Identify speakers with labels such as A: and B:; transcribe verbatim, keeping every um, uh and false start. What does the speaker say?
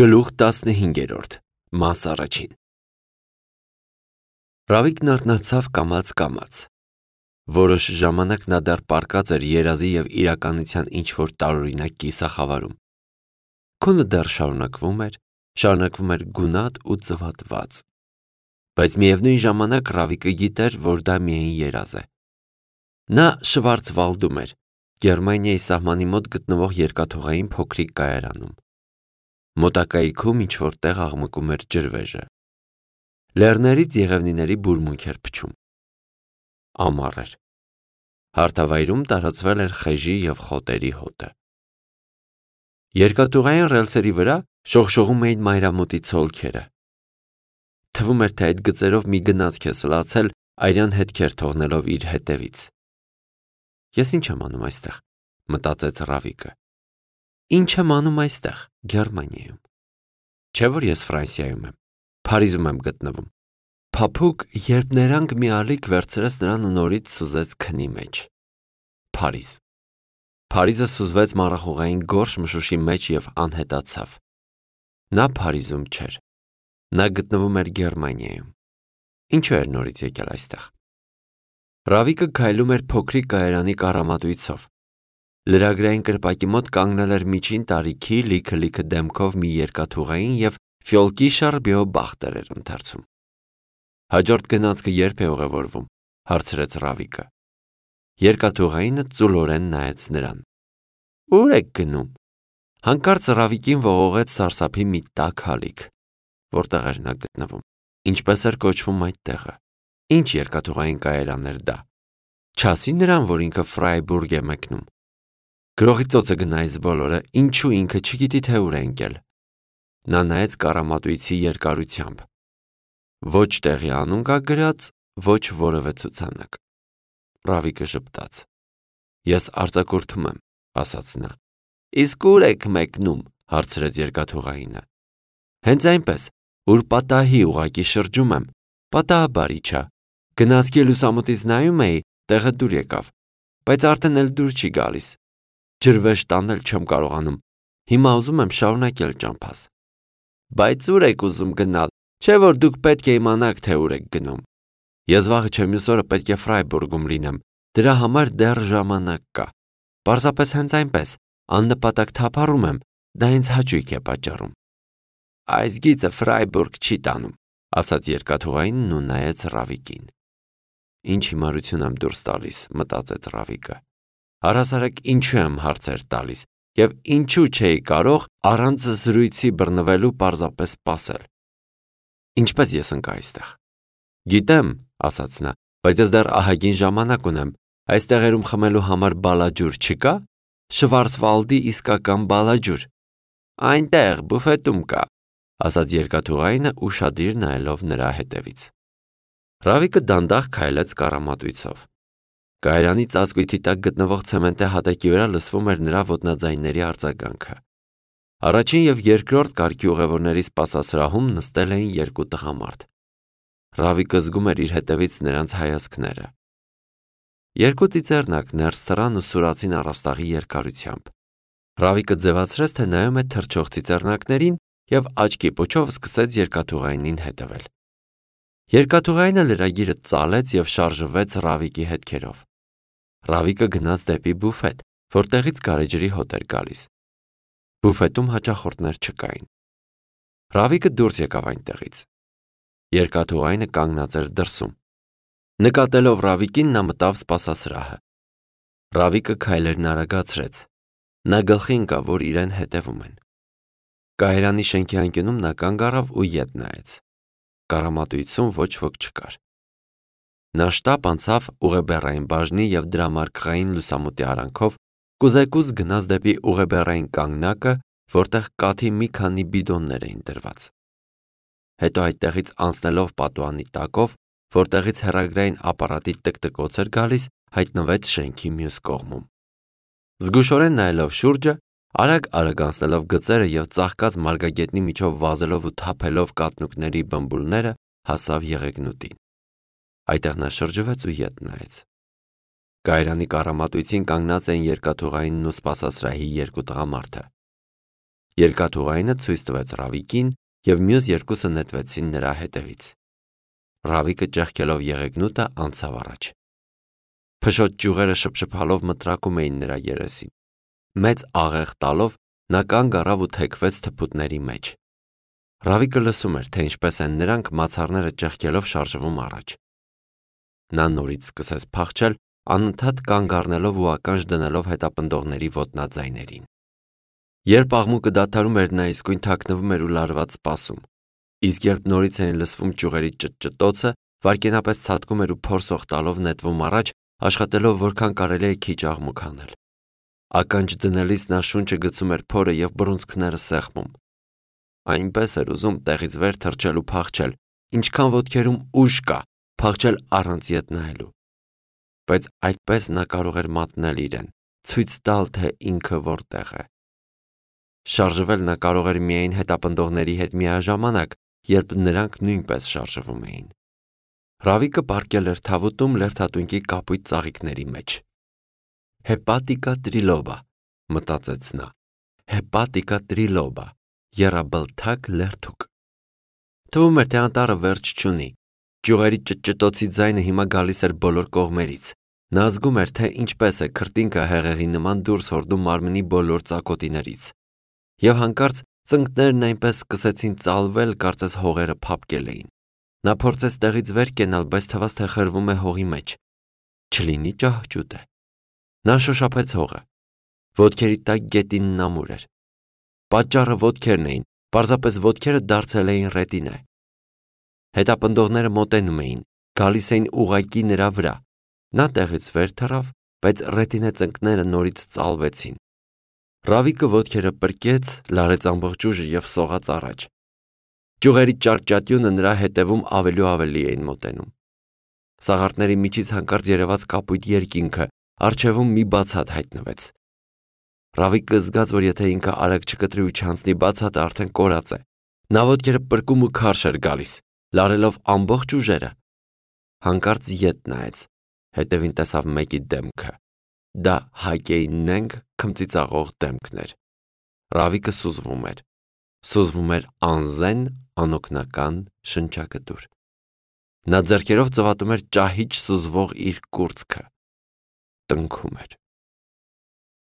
A: Գլուխ տասնհինգերորդ Մաս առաջին Ռավիկն արթնացավ կամաց-կամաց։ Որոշ ժամանակ նա դեռ պառկած էր երազի և իրականության ինչ-որ տարօրինակ կիսախավարում։ Քունը դեռ շարունակվում էր, շարունակվում էր գունատ ու ծվատված։ Բայց միևնույն ժամանակ Ռավիկը գիտեր, որ դա միայն երազ է։ Նա Շվարցվալդում էր, Գերմանիայի սահմանի մոտ գտնվող երկաթուղային փոքրիկ կայարանում։ Մոտակայքում ինչ-որ տեղ աղմկում էր ջրվեժը։ Լեռներից եղևնիների բուրմունք էր փչում։ Ամառ էր։ Հարթավայրում տարածվել էր խեժի և խոտերի հոտը։ Երկաթուղային ռելսերի վրա շողշողում էին մայրամուտի ցոլքերը։ Թվում էր, թե այդ գծերով մի գնացք է սլացել, արյան հետքեր թողնելով իր հետևից։ Ես ինչ եմ անում այստեղ, մտածեց Ռավիկը։ Ինչ եմ անում այստեղ, Գերմանիայում։ Չէ՞ որ ես Ֆրանսիայում եմ, Փարիզում եմ գտնվում։ Փափուկ, երբ ներանք մի ալիք վերցրեց նրան ու նորից սուզեց քնի մեջ։ Փարիզ։ Փարիզը սուզվեց մառախուղային գորշ մշուշի մեջ և անհետացավ։ Նա Փարիզում չէր։ Նա գտնվում էր Գերմանիայում։ Ինչու էր նորից եկել այստեղ։ Ռավիկը քայլում էր փոքրիկ կայարանի կառամատույցով։ Լրագրային կրպակի մոտ կանգնել էր միջին տարիքի լիքը-լիքը դեմքով մի երկաթուղային և Ֆյոլկիշար Բեոբախտեր էր ընթերցում։ Հաջորդ գնացքը երբ է ուղևորվում, հարցրեց Ռավիկը։ Երկաթուղայինը ծուլորեն նայեց նրան։ Ո՞ւր եք գնում։ Հանկարծ Ռավիկին ողողեց սարսափի մի տաք հալիք։ Որտեղ էր նա գտնվում։ Ինչպես էր կոչվում այդ տեղը։ Ինչ երկաթուղային կայարան էր դա։ Չասի նրան, որ ինքը Ֆրայբուրգ է մեկնում։ Գրողի ծոցը գնա այս բոլորը, ինչու ինքը չգիտի թե ուր է ընկել։ Նա նայեց կառամատույցի երկարությամբ։ Ոչ տեղի անուն կա գրած, ոչ որևէ ցուցանակ։ Ռավիկը ժպտաց։ Ես արձակուրդում եմ, ասաց նա։ Իսկ ուր եք մեկնում, հարցրեց երկաթուղայինը։ Հենց այնպես, ուր պատահի ուղակի շրջում եմ, պատահաբար իջա։ Գնացքի լուսամուտից նայում էի, տեղը դուր եկավ, բայց արդեն էլ դուր չի գալիս։ Ջրվեժ տանել չեմ կարողանում, հիմա ուզում եմ շարունակել ճամփաս։ Բայց ուր եք ուզում գնալ, չէ՞ որ դուք պետք է իմանաք, թե ուր եք գնում։ Ես վաղը չէ մյուս օրը պետք է Ֆրայբուրգում լինեմ, դրա համար դեռ ժամանակ կա։ Պարզապես հենց այնպես, աննպատակ թափառում եմ, դա ինձ հաճույք է պատճառում։ Այս գիծը Ֆրայբուրգ չի տանում, ասաց երկաթուղայինն ու նայեց Ռավիկին։ Ինչ հիմարություն եմ դուրս տալիս, մտածեց Ռավիկը։ Առհասարակ ինչու եմ հարցեր տալիս և ինչու չէի կարող առանց զրույցի բռնվելու պարզապես սպասել։ Ինչպես ես ընկա այստեղ։ Գիտեմ, ասաց նա, բայց ես դեռ ահագին ժամանակ ունեմ։ Այս տեղերում խմելու համար բալաջուր չկա։ Շվարցվալդի իսկական բալաջուր։ Այնտեղ բուֆետում կա, ասաց երկաթուղայինը ուշադիր նայելով նրա հետևից։ Ռավիկը դանդաղ քայլեց կառամատույցով։ Կայարանի ծածկույթի տակ գտնվող ցեմենտե հատակի վրա լսվում էր նրա ոտնաձայնների արձագանքը։ Առաջին և երկրորդ կարգի ուղևորների սպասասրահում նստել էին երկու տղամարդ։ Ռավիկը զգում էր իր հետևից նրանց հայացքները։ Երկու ծիծեռնակ ներս թռան ու սուրացին առաստաղի երկարությամբ։ Ռավիկը ձևացրեց, թե նայում է թռչող ծիծեռնակներին և աչքի պուչով սկսեց երկաթուղայինին հետևել։ Երկաթուղայինը լրագիրը ծալեց և շարժվեց Ռավիկի հետքերով։ Ռավիկը գնաց դեպի բուֆետ, որտեղից գարեջրի հոտ էր գալիս։ Բուֆետում հաճախորդներ չկային։ Ռավիկը դուրս եկավ այնտեղից։ Երկաթուղայինը կանգնած էր դրսում։ Նկատելով Ռավիկին, նա մտավ սպասասրահը։ Ռավիկը քայլերն արագացրեց։ Նա գլխի ընկավ, որ իրեն հետևում են։ Կայարանի շենքի անկյունում նա կանգ առավ ու ետ նայեց։ Կառամատույցում ոչ ոք չկար։ Նա շտապ անցավ ուղեբեռային բաժնի և դրամարկղային լուսամուտի արանքով, կուզեկուզ գնաց դեպի ուղեբեռային կանգնակը, որտեղ կաթի մի քանի բիդոններ էին դրված։ Հետո այդտեղից անցնելով պատուհանի տակով, որտեղից հեռագրային ապարատի տկտկոց էր գալիս, հայտնվեց շենքի մյուս կողմում։ Զգուշորեն նայելով շուրջը, արագ-արագ անցնելով գծերը և ծաղկած մարգագետնի միջով վազելով ու թափելով կաթնուկների բմբուլները, հասավ եղեգնուտին։ Այդտեղ նա շրջվեց ու ետ նայեց։ Կայարանի կառամատույցին կանգնած էին երկաթուղայինն ու սպասասրահի երկու տղամարդը։ Երկաթուղայինը ցույց տվեց Ռավիկին, և մյուս երկուսը նետվեցին նրա հետևից։ Ռավիկը ճեղքելով եղեգնուտը անցավ առաջ։ Փշոտ ճյուղերը շփշփալով մտրակում էին նրա երեսին։ Մեծ աղեղ տալով նա կանգ առավ ու թեքվեց թփուտների մեջ։ Ռավիկը լսում էր, թե ինչպես են նրանք մացառները ճեղքելով շարժվում առաջ։ Նա նորից սկսեց փախչել, անընդհատ կանգ առնելով ու ականջ դնելով հետապնդողների ոտնաձայներին։ Երբ աղմուկը դադարում էր, նա իսկույն թաքնվում էր ու լարված սպասում, իսկ երբ նորից էին լսվում ճյուղերի ճտճտոցը, վայրկենապես ցատկում էր ու փորձող տալով նետվում առաջ, աշխատելով որքան կարելի է քիչ աղմուկ անել։ Ականջ դնելիս նա շունչը գցում էր փորը և բռունցքները սեղմում։ Այնպես էր ուզում տեղից վեր թռչել ու փախչել, ինչքան ոտքերում ուժ կա, փախչել առանց ետ նայելու։ Բայց այդպես նա կարող էր մատնել իրեն, ցույց տալ, թե ինքը որտեղ է։ Շարժվել նա կարող էր միայն հետապնդողների հետ միաժամանակ, երբ նրանք նույնպես շարժվում էին։ Ռավիկը պառկել էր թավուտում լերդատունկի կապույտ ծաղիկների մեջ։ Հեպատիկա տրիլոբա, մտածեց նա, հեպատիկա տրիլոբա, եռաբլթակ լերդուկ։ Թվում էր, թե անտառը վերջ չունի։ Ճյուղերի ճտճտոցի ձայնը հիմա գալիս էր բոլոր կողմերից։ Նա զգում էր, թե ինչպես է քրտինքը հեղեղի նման դուրս հորդում մարմնի բոլոր ծակոտիներից։ Եվ հանկարծ ծնկներն այնպես սկսեցին ծալվել, կարծես հողերը փափկել էին։ Նա փորձեց տեղից վեր կենալ, բայց թվաց, թե խրվում է հողի մեջ։ Չլինի ճահճուտ է։ Նա շոշափեց հողը։ Ոտքերի տակ գետինն ամուր էր։ Պատճառը ոտքերն էին, պարզապես ոտքերը դարձել էին ռետինե։ Հետապնդողները մոտենում էին, գալիս էին ուղղակի նրա վրա։ Նա տեղից վեր թռավ, բայց ռետինե ծնկները նորից ծալվեցին։ Ռավիկը ոտքերը պրկեց, լարեց ամբողջ ուժը և սողաց առաջ։ Ճյուղերի ճարճատյունը նրա հետևում ավելի ու ավելի էին մոտենում։ Սաղարթների միջից հանկարծ երևաց կապույտ երկինքը, առջևում մի բացատ հայտնվեց։ Ռավիկը զգաց, որ եթե ինքը արագ չկտրի ու չանցնի, բացատը արդեն կորած է։ Նա ոտքերը պրկում ու քարշ էր գալիս, լարելով ամբողջ ուժերը։ Հանկարծ ետ նայեց, հետևին տեսավ մեկի դեմքը։ Դա Հակեի նենգ քմծիծաղող դեմքն էր։ Ռավիկը սուզվում էր։ Սուզվում էր անզեն, անօգնական, շնչակտուր։ Նա ձեռքերով ծվատում էր ճահիճ սուզվող իր կուրծքը։ Տնքում էր։